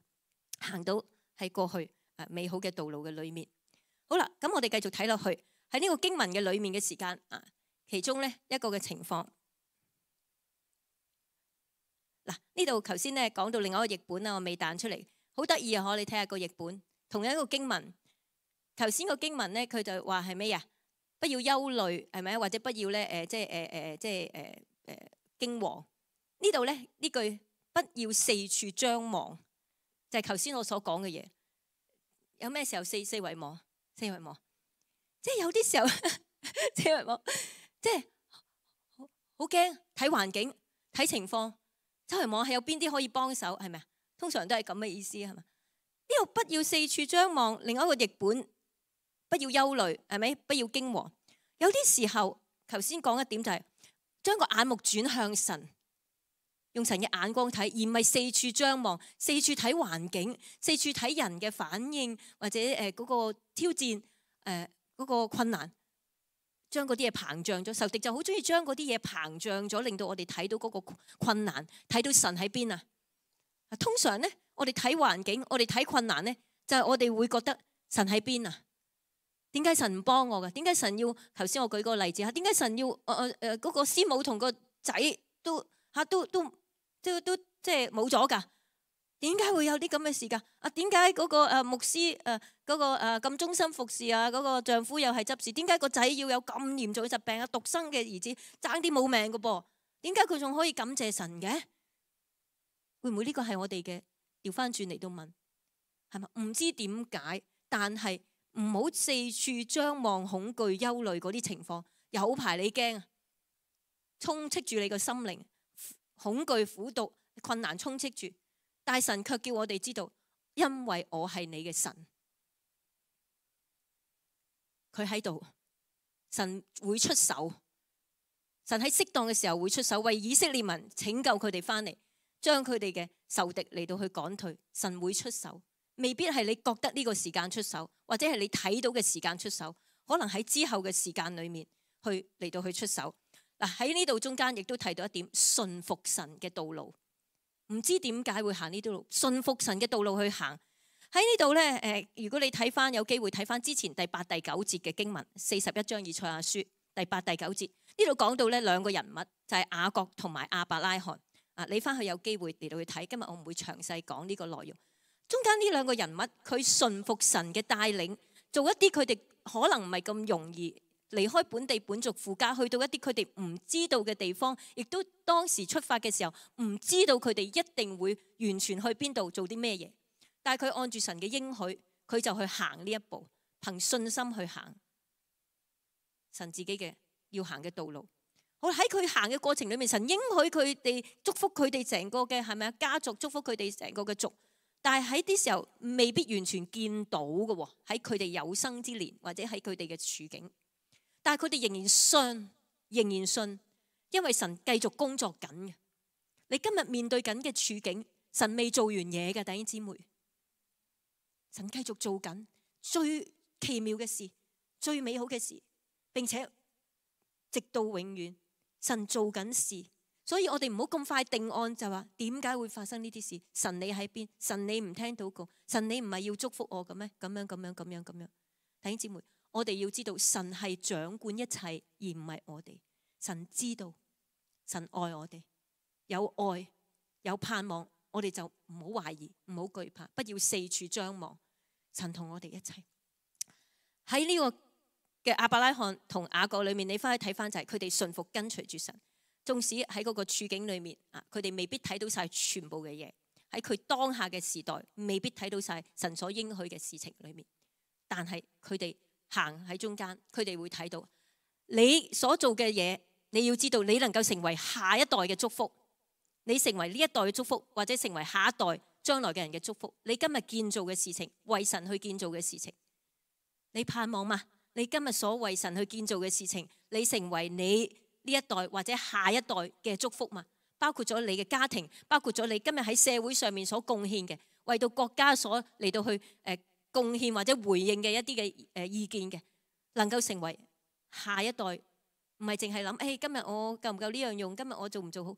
行到喺過去美好嘅道路嘅裏面。好啦，咁我哋繼續睇落去喺呢個經文嘅裏面嘅時間其中咧一個嘅情況。嗱，呢度頭先咧講到另外一個譯本我未彈出嚟，好得意啊！我哋睇下個譯本，同樣一個經文。頭先個經文咧，佢就話係咩呀？不要憂慮，係咪？或者不要咧即係驚惶。呢度咧呢句不要四處張望，就係頭先我所講嘅嘢。有咩時候四圍望？四圍望，即係有啲時候四圍望，即係好驚，睇環境，睇情況，周圍望係有邊啲可以幫手，係咪啊？通常都係咁嘅意思，係咪？呢度不要四處張望，另外一個譯本不要憂慮，係咪？不要驚惶。有啲時候，頭先講一點就係將個眼目轉向神，用神嘅眼光睇，而唔係四處張望，四處睇環境，四處睇人嘅反應，或者嗰個挑戰，嗰個困難，將嗰啲嘢膨脹咗。仇敵就好中意將嗰啲嘢膨脹咗，令到我哋睇到嗰個困難，睇到神喺邊啊！通常咧，我哋睇環境，我哋睇困難咧，就係我哋會覺得神喺邊啊？點解神唔幫我㗎？點解神要頭先我舉個例子嚇？點解神要嗰個師母同個仔都即係冇咗㗎？點解會有啲咁嘅事㗎？點解嗰個牧師嗰個咁忠心服侍嗰個丈夫又係執事？點解個仔要有咁嚴重嘅疾病獨生嘅兒子爭啲冇命㗎噃？點解佢仲可以感謝神嘅？會唔會呢個係我哋嘅調翻轉嚟到問係咪？唔知點解，但係唔好四處張望、恐懼、憂慮嗰啲情況，有排你驚啊！充斥住你個心靈，恐懼、苦毒、困難充斥住，但神卻叫我哋知道，因為我係你嘅神，佢喺度，神會出手，神喺適當嘅時候會出手，為以色列民拯救佢哋翻嚟。將佢哋嘅仇敵嚟到去趕退，神會出手，未必係你覺得呢個時間出手，或者係你睇到嘅時間出手，可能喺之後嘅時間裏面去嚟到去出手。喺呢度中間亦都提到一點，順服神嘅道路，唔知點解會行呢條路，順服神嘅道路去行。喺呢度咧，如果你睇翻有機會睇翻之前第8、第9節嘅經文，41章以賽亞書第8、第9節呢度講到咧兩個人物就係雅各同埋亞伯拉罕。你翻去有機會嚟到去睇，今日我唔會詳細講呢個內容。中間呢兩個人物，佢順服神嘅帶領，做一啲佢哋可能唔係咁容易離開本地本族父家，去到一啲佢哋唔知道嘅地方，亦都當時出發嘅時候唔知道佢哋一定會完全去邊度做啲咩嘢。但係佢按住神嘅應許，佢就去行呢一步，憑信心去行神自己嘅要行嘅道路。好，喺佢行嘅過程裏面，神應許佢哋，祝福佢哋成個嘅係咪啊家族，祝福佢哋成個嘅族。但係喺啲時候未必完全見到嘅喎，喺佢哋有生之年或者喺佢哋嘅處境。但係佢哋仍然信，因為神繼續工作緊嘅。你今日面對緊嘅處境，神未做完嘢嘅，弟兄姊妹。神繼續做緊最奇妙嘅事，最美好嘅事，並且直到永遠，神做緊事。所以我哋唔好咁快定案，就話點解會發生呢啲事？神你喺邊？神你唔聽禱告？神你唔係要祝福我嘅咩？咁樣。弟兄姊妹，我哋要知道神係掌管一切，而唔係我哋。神知道，神愛我哋，有愛有盼望，我哋就唔好懷疑，唔好懼怕，不要四處張望。神同我哋一齊喺呢個嘅亞伯拉罕同雅各裏面，你翻去睇翻就係佢哋順服跟隨住神，縱使喺嗰個處境裏面佢哋未必睇到晒全部嘅嘢，喺佢當下嘅時代未必睇到晒神所應許嘅事情裏面，但係佢哋行喺中間，佢哋會睇到你所做嘅嘢。你要知道，你能夠成為下一代嘅祝福，你成為呢一代嘅祝福，或者成為下一代將來嘅人嘅祝福。你今日建造嘅事情，為神去建造嘅事情，你盼望嗎？你今日所為神去建造嘅事情，你成為你呢一代或者下一代嘅祝福嘛？包括咗你嘅家庭，包括咗你今日喺社會上面所貢獻嘅，為到國家所嚟到去貢獻或者回應嘅一啲嘅意見嘅，能夠成為下一代。唔係淨係諗，今日我夠唔夠呢樣用？今日我做唔做好？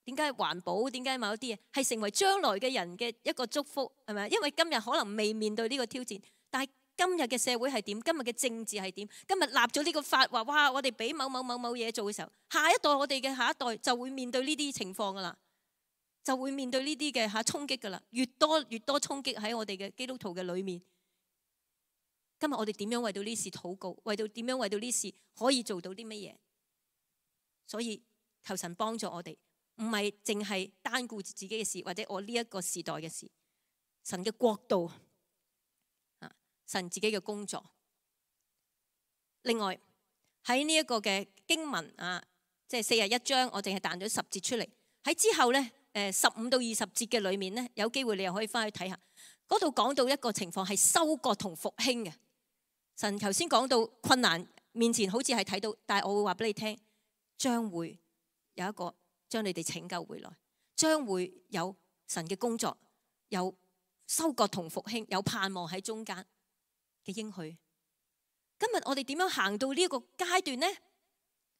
點解環保？點解某啲嘢係成為將來嘅人嘅一個祝福？係咪？因為今日可能未面對呢個挑戰，但係今日嘅社會係點？今日嘅政治係點？今日立咗呢個法話，哇！我哋俾某嘢做嘅時候，下一代我哋嘅下一代就會面對呢啲情況噶啦，就會面對呢啲嘅衝擊噶啦，越多衝擊喺我哋嘅基督徒嘅裏面。今日我哋點樣為到呢事禱告？點樣為到呢事可以做到啲乜嘢？所以求神幫助我哋，唔係淨係單顧自己嘅事，或者我呢一個時代嘅事。神嘅國度，神自己嘅工作。另外喺呢一個嘅經文即係41章，我淨係彈咗10節出嚟。喺之後呢，15到20節嘅裏面呢，有機會你又可以翻去睇下。嗰度講到一個情況係收割同復興嘅。神頭先講到困難面前好似係睇到，但係我會話俾你聽，將會有一個將你哋拯救回來，將會有神嘅工作，有收割同復興，有盼望喺中間嘅應許。今日我哋點樣行到呢一個階段呢？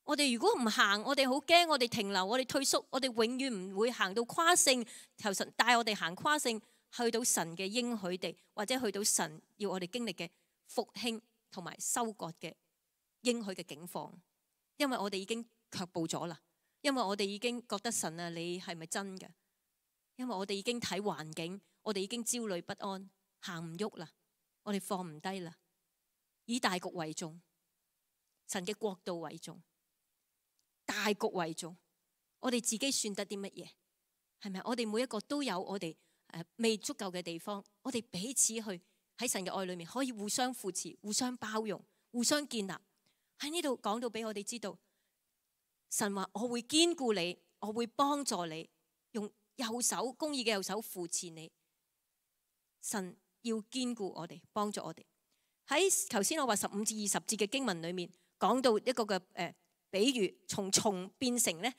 我哋如果唔行，我哋好驚，我哋停留，我哋退縮，我哋永遠唔會行到跨性。求神帶我哋行跨性，去到神嘅應許地，或者去到神要我哋經歷嘅復興同埋收割嘅應許嘅境況。因為我哋已經卻步咗啦，因為我哋已經覺得神啊，你係咪真嘅？因為我哋已經睇環境，我哋已經焦慮不安，行唔喐啦，我哋放唔低啦。以大局為重，神嘅國度為重，大局為重。我哋自己算得啲乜嘢？係咪？我哋每一個都有我哋未足夠嘅地方，我哋彼此去喺神嘅愛裏面可以互相扶持、互相包容、互相建立。喺呢度講到俾我哋知道，神話我會堅固你，我會幫助你，用右手公義嘅右手扶持你。神要堅固我哋，幫助我哋。喺頭先我話15至20節嘅經文裏面講到一個嘅比喻，從蟲變成咧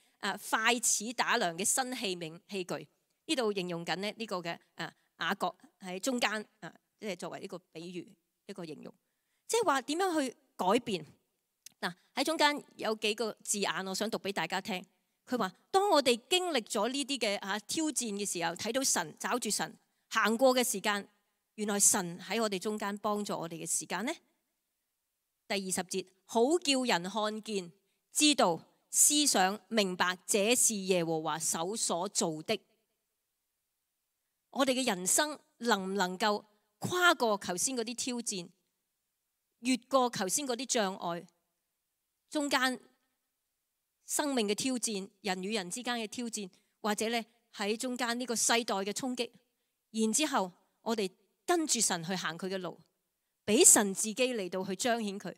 筷子打糧嘅新器皿器具。呢度形容緊咧呢個嘅雅各喺中間即係作為一個比喻，一個形容，即係話點樣去改變。嗱，喺中間有幾個字眼，我想讀俾大家聽。佢話：當我哋經歷咗呢啲嘅挑戰嘅時候，睇到神找住神行過嘅時間，原來神喺我哋中間幫助我哋嘅時間呢？第20節，好叫人看見、知道、思想、明白，這是耶和華手所做的。我哋嘅人生能唔能夠跨過頭先嗰啲挑戰，越過頭先嗰啲障礙，中間生命嘅挑戰，人與人之間嘅挑戰，或者咧喺中間呢個世代嘅衝擊，然之後我哋跟住神去行佢嘅路，俾神自己嚟到去彰顯佢，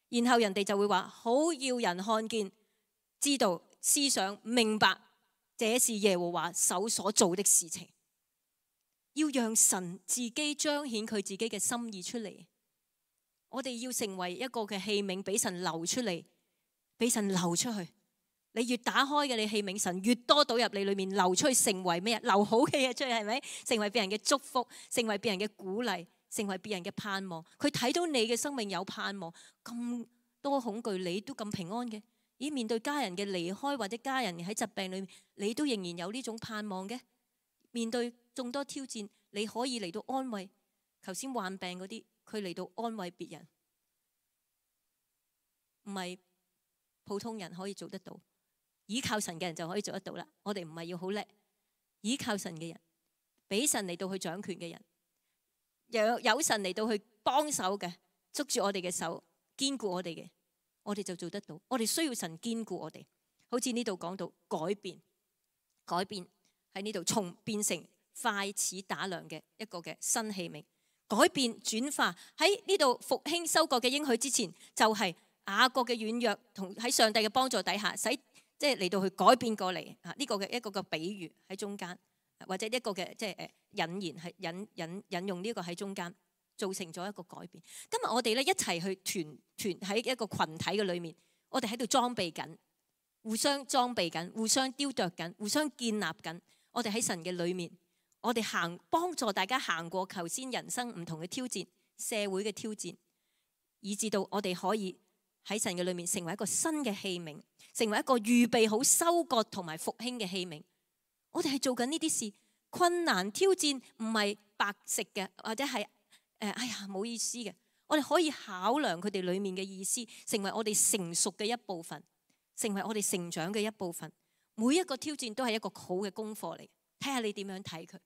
然後人哋就會話：好要人看見、知道、思想、明白，這是耶和華手所做的事情。要讓神自己彰顯佢自己嘅心意出嚟，我哋要成為一個嘅器皿，俾神流出嚟，俾神流出去。你越打開嘅你器皿，神越多倒入你裏面，流出去成為咩？流好嘅嘢出去，係咪？成為別人嘅祝福，成為別人嘅鼓勵，成為別人嘅盼望。佢睇到你嘅生命有盼望，咁多恐懼你都咁平安嘅。咦，面對家人嘅離開或者家人喺疾病裏面，你都仍然有呢種盼望嘅。面對眾多挑戰，你可以嚟到安慰頭先患病嗰啲，佢嚟到安慰別人，唔係普通人可以做得到，倚靠神嘅人就可以做得到啦。我哋唔係要好叻，倚靠神嘅人，俾神嚟到去掌權嘅人，有神嚟到去幫手嘅，捉住我哋嘅手，堅固我哋嘅，我哋就做得到。我哋需要神堅固我哋，好似呢度講到改變喺呢度，從變成快似打糧嘅一個嘅新器皿，改變轉化喺呢度復興收割嘅應許之前，就係雅各嘅軟弱同喺上帝嘅幫助底下，使即係嚟到去改變過嚟啊！呢個嘅一個嘅比喻喺中間，或者一個嘅即係引言係引用呢個喺中間，造成咗一個改變。今日我哋咧一齊去團喺一個群體嘅裏面，我哋喺度裝備緊，互相裝備緊，互相雕琢緊，互相建立緊。我哋喺神嘅裏面，我哋幫助大家行過頭先人生唔同嘅挑戰，社會嘅挑戰，以至到我哋可以喺神嘅裏面成為一個新嘅器皿，成為一個預備好收割同埋復興嘅器皿。我哋係做緊呢啲事，困難挑戰唔係白食嘅，或者係哎呀冇意思嘅。我哋可以考量佢哋裏面嘅意思，成為我哋成熟嘅一部分，成為我哋成長嘅一部分。每一個挑戰都係一個好嘅功課嚟，睇下你點樣睇佢。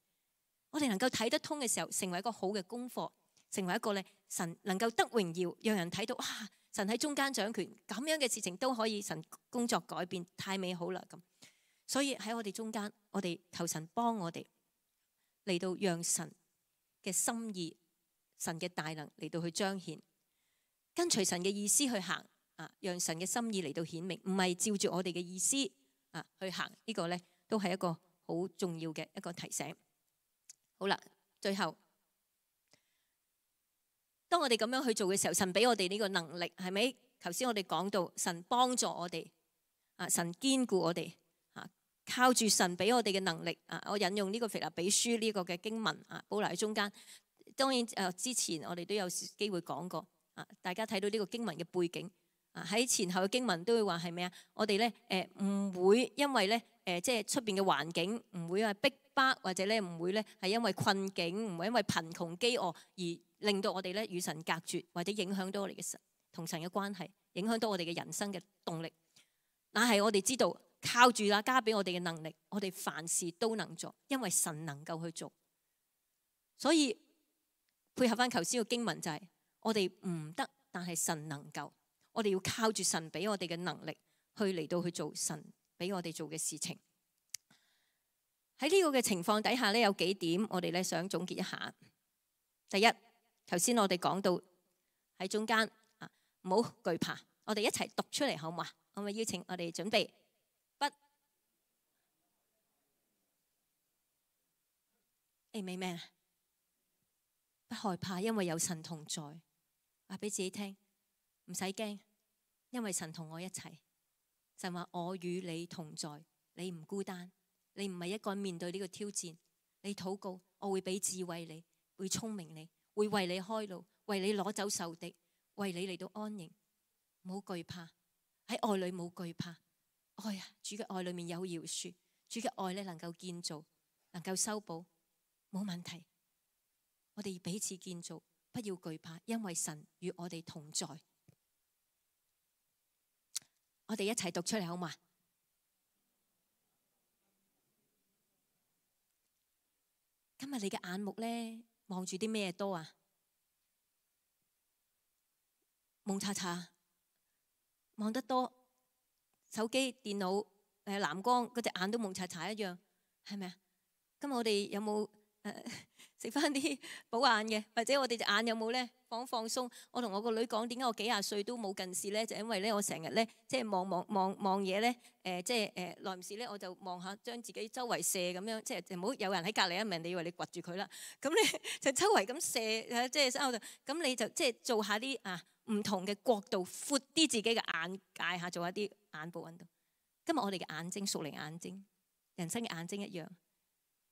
我哋能夠睇得通嘅時候，成為一個好嘅功課，成為一個咧神能夠得榮耀，讓人睇到哇！神喺中間掌權，咁樣嘅事情都可以神工作改變，太美好啦咁。所以喺我哋中間，我哋求神幫我哋嚟到讓神嘅心意、神嘅大能嚟到去彰顯，跟隨神嘅意思去行啊，讓神嘅心意嚟到顯明，唔係照住我哋嘅意思去行。呢個咧都係一個好重要嘅一個提醒。好啦，最後當我哋咁樣去做嘅時候，神俾我哋呢個能力，係咪？頭先我哋講到神幫助我哋神堅固我哋靠住神俾我哋嘅能力我引用呢個腓立比書呢個嘅經文保留喺中間。當然之前我哋都有機會講過大家睇到呢個經文嘅背景喺前後嘅經文都會話係咩啊？我哋咧唔會因為咧即係出邊嘅環境唔會係逼迫，或者咧唔會咧係因為困境，唔會因為貧窮飢餓而令到我哋咧與神隔絕，或者影響到我哋嘅神同神嘅關係，影響到我哋嘅人生嘅動力。但係我哋知道靠住加俾我哋嘅能力，我哋凡事都能做，因為神能夠去做。所以配合翻頭先嘅經文就係我哋唔得，但係神能夠。我哋要靠住神俾我哋嘅能力去嚟到去做神俾我哋做嘅事情。喺呢個嘅情況底下咧，有幾點我哋咧想總結一下。第一，頭先我哋講到喺中間唔好懼怕，我哋一齊讀出嚟好嘛？我咪邀請我哋準備Amen，不害怕，因為有神同在。話俾自己聽，唔使驚，因為神同我一齊。神話我與你同在，你唔孤單，你唔係一個人面對呢個挑戰。你禱告，我會俾智慧你，會聰明你，會為你開路，為你攞走仇敵，為你嚟到安營。唔好懼怕，喺愛裏冇懼怕，愛啊，主嘅愛裏面有饒恕，主嘅愛咧能夠建造，能夠修補，冇問題。我哋彼此建造，不要懼怕，因為神與我哋同在。我哋一齊讀出嚟好嘛？今日你嘅眼目咧望住啲咩多啊？蒙查查望得多，手機、電腦、藍光嗰隻眼都蒙查查一樣，係咪啊？今日我哋有冇食翻啲補眼嘅？或者我哋隻眼有冇咧放鬆？我同我個女講，點解我幾廿歲都冇近視咧？就因為咧我成日咧即係望嘢咧，即係耐唔時咧我就望下，將自己周圍射咁樣，即係唔好有人喺隔離一命，你以為你掘住佢啦。咁咧就周圍咁射，即係身後度，咁你就即係做下啲唔同嘅角度，闊啲自己嘅眼界下，做下啲眼部運動。今日我哋嘅眼睛，屬靈眼睛，人生嘅眼睛一樣。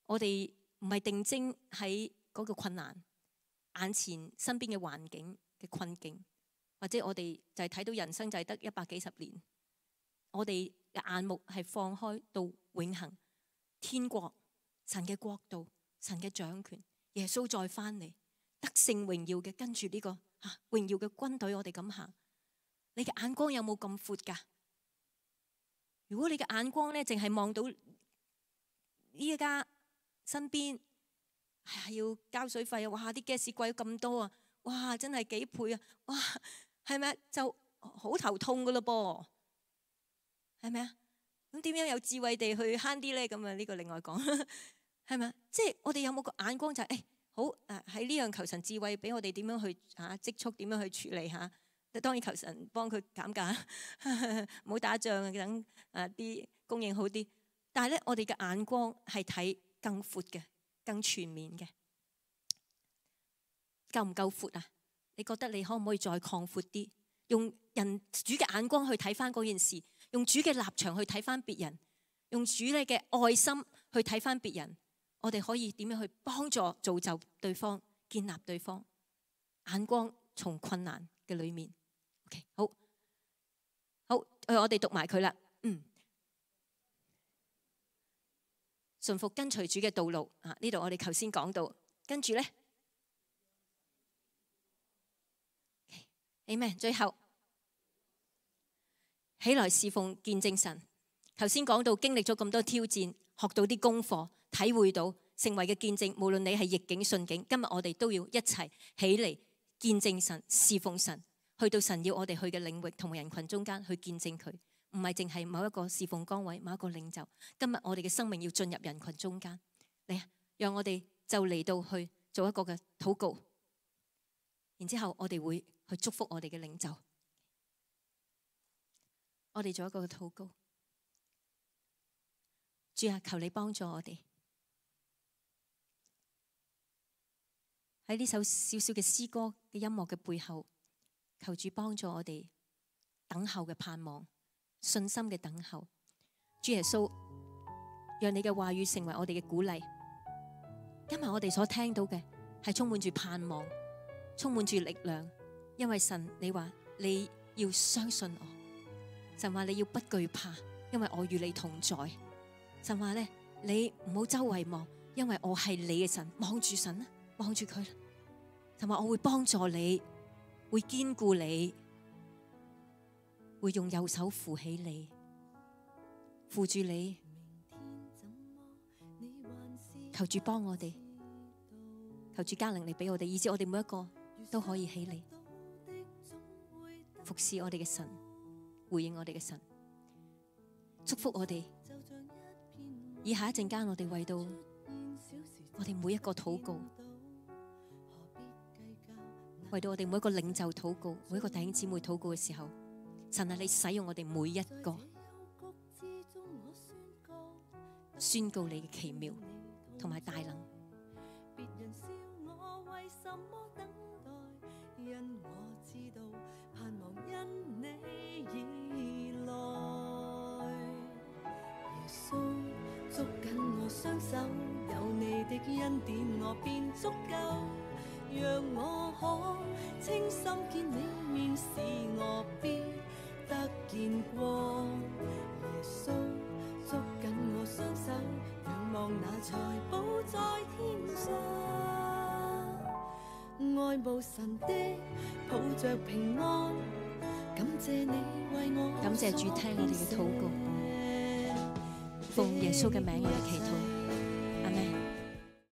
我哋唔係定睛喺嗰個困難眼前身邊嘅環境嘅困境，或者我哋就係睇到人生就係得100幾十年。我哋嘅眼目係放開到永恆天國，神嘅國度，神嘅掌權，耶穌再翻嚟，得勝榮耀嘅跟住呢個榮耀嘅軍隊，我哋咁行。你嘅眼光有冇咁闊㗎？如果你嘅眼光咧，淨係望到呢一家身邊係要交水費啊！哇，啲 gas 貴咗咁多啊！哇，真係幾倍啊！哇，係咪就好頭痛噶咯噃？係咪啊？咁點樣有智慧地去慳啲咧？咁啊，呢個另外講係咪啊？即係我哋有冇個眼光就係好喺呢樣求神智慧俾我哋點樣去積蓄，點樣去處理嚇？當然求神幫佢減價，唔好打仗啊，等啲供應好啲。但係咧，我哋嘅眼光係睇更闊嘅、更全面嘅，夠唔夠闊啊？你覺得你可唔可以再擴闊啲？用主嘅眼光去睇翻嗰件事，用主嘅立場去睇翻別人，用主你嘅愛心去睇翻別人。我哋可以點樣去幫助造就對方、建立對方？眼光從困難嘅裏面。OK， 好，我哋讀埋佢啦。順服跟隨主嘅道路啊！呢度我哋頭先講到，跟住咧，Amen。最後起來侍奉見證神。頭先講到經歷咗咁多挑戰，學到啲功課，體會到成為嘅見證。無論你係逆境順境，今日我哋都要一齊起嚟見證神、侍奉神，去到神要我哋去嘅領域同人群中間去見證佢。唔係淨係某一個侍奉崗位、某一個領袖。今日我哋嘅生命要進入人群中間，嚟啊！讓我哋就嚟到去做一個嘅禱告，然之後我哋會去祝福我哋嘅領袖。我哋做一個嘅禱告，主啊，求你幫助我哋喺呢首小小嘅詩歌嘅音樂嘅背後，求主幫助我哋等候嘅盼望。信心嘅等候，主耶穌，讓你嘅話語成為我哋嘅鼓勵。今日我哋所聽到嘅係充滿住盼望，充滿住力量。因為神，你話你要相信我，神話你要不懼怕，因為我與你同在。神話咧，你唔好周圍望，因為我係你嘅神。望住神啊，望住佢。神話我會幫助你，會堅固你。會用右手扶起你，扶住你，求主幫我哋，求主加能力俾我哋，以致我哋每一個都可以起嚟服侍我哋嘅神，回應我哋嘅神，祝福我哋。以下一陣間，我哋為到我哋每一個禱告，為到我哋每一個領袖禱告，每一個弟兄姊妹禱告嘅時候。神啊，你使用我哋每一個，宣告你嘅奇妙同埋大能。別人笑我為什麼等待，因我知道盼望因你而來。耶穌捉緊我雙手，有你的恩典我便足夠，讓我可清心見你面，使我必得見光。耶
穌，捉緊我雙手，仰望那財寶在天上。愛慕神的，抱着平安，感謝你為我。
感謝主聽我哋嘅禱告，奉耶穌嘅名我哋祈禱。